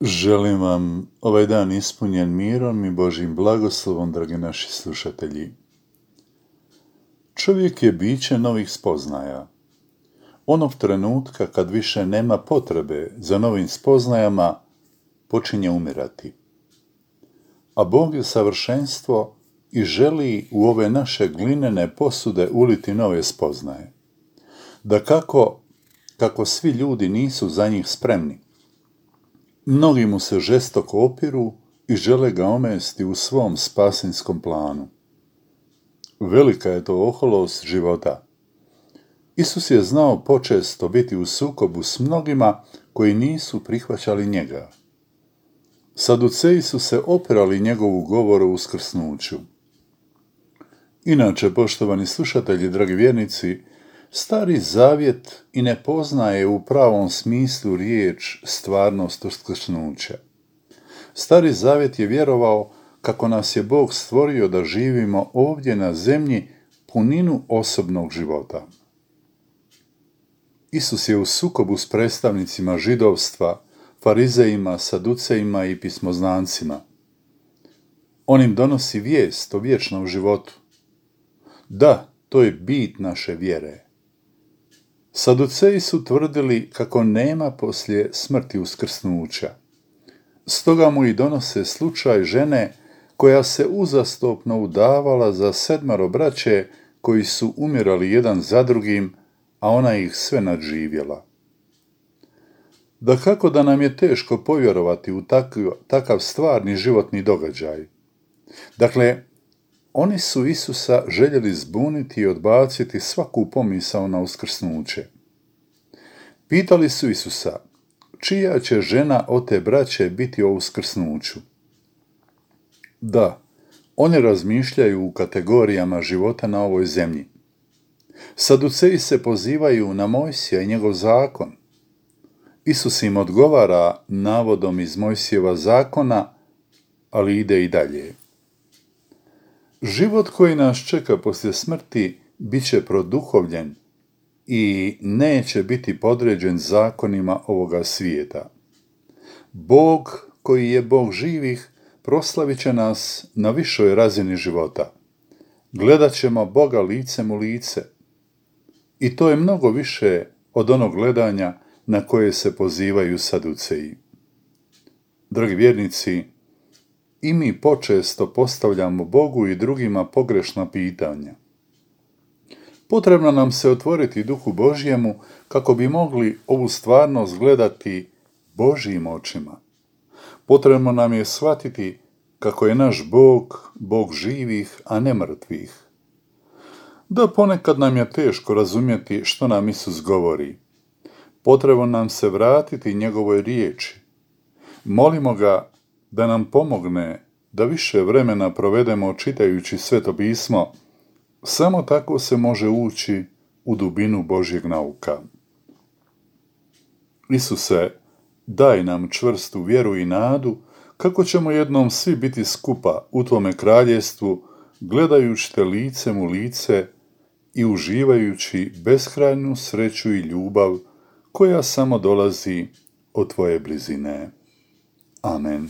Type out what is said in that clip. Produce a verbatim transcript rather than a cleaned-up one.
Želim vam ovaj dan ispunjen mirom i Božjim blagoslovom, dragi naši slušatelji. Čovjek je biće novih spoznaja. Onog trenutka kad više nema potrebe za novim spoznajama, počinje umirati. A Bog je savršenstvo i želi u ove naše glinene posude uliti nove spoznaje. Da kako, kako svi ljudi nisu za njih spremni, mnogi mu se žestoko opiru i žele ga omesti u svom spasinskom planu. Velika je to oholost života. Isus je znao počesto biti u sukobu s mnogima koji nisu prihvaćali njega. Saduceji su se opirali njegovu govoru o uskrsnuću. Inače, poštovani slušatelji, dragi vjernici, Stari Zavjet i ne poznaje u pravom smislu riječ stvarnost uskrsnuća. Stari Zavjet je vjerovao kako nas je Bog stvorio da živimo ovdje na zemlji puninu osobnog života. Isus je u sukobu s predstavnicima židovstva, farizejima, saducejima i pismoznancima. On im donosi vijest o vječnom životu. Da, to je bit naše vjere. Saduceji su tvrdili kako nema poslije smrti uskrsnuća. Stoga mu i donose slučaj žene koja se uzastopno udavala za sedmero braće koji su umirali jedan za drugim, a ona ih sve nadživjela. Dakako da nam je teško povjerovati u takav, takav stvarni životni događaj. Dakle, oni su Isusa željeli zbuniti i odbaciti svaku pomisao na uskrsnuće. Pitali su Isusa, čija će žena od te braće biti o uskrsnuću? Da, oni razmišljaju u kategorijama života na ovoj zemlji. Saduceji se pozivaju na Mojsija i njegov zakon. Isus im odgovara navodom iz Mojsijeva zakona, ali ide i dalje. Život koji nas čeka poslije smrti bit će produhovljen i neće biti podređen zakonima ovoga svijeta. Bog, koji je Bog živih, proslavit će nas na višoj razini života. Gledat ćemo Boga licem u lice. I to je mnogo više od onog gledanja na koje se pozivaju saduceji. Dragi vjernici, i mi počesto postavljamo Bogu i drugima pogrešna pitanja. Potrebno nam se otvoriti Duhu Božjemu kako bi mogli ovu stvarnost gledati Božjim očima. Potrebno nam je shvatiti kako je naš Bog, Bog živih, a ne mrtvih. Da ponekad nam je teško razumjeti što nam Isus govori. Potrebno nam se vratiti njegovoj riječi. Molimo ga da nam pomogne da više vremena provedemo čitajući Sveto pismo. Samo tako se može ući u dubinu Božjeg nauka. Isuse, daj nam čvrstu vjeru i nadu kako ćemo jednom svi biti skupa u tvome kraljestvu, gledajući te licem u lice i uživajući beskrajnu sreću i ljubav koja samo dolazi od tvoje blizine. Amen.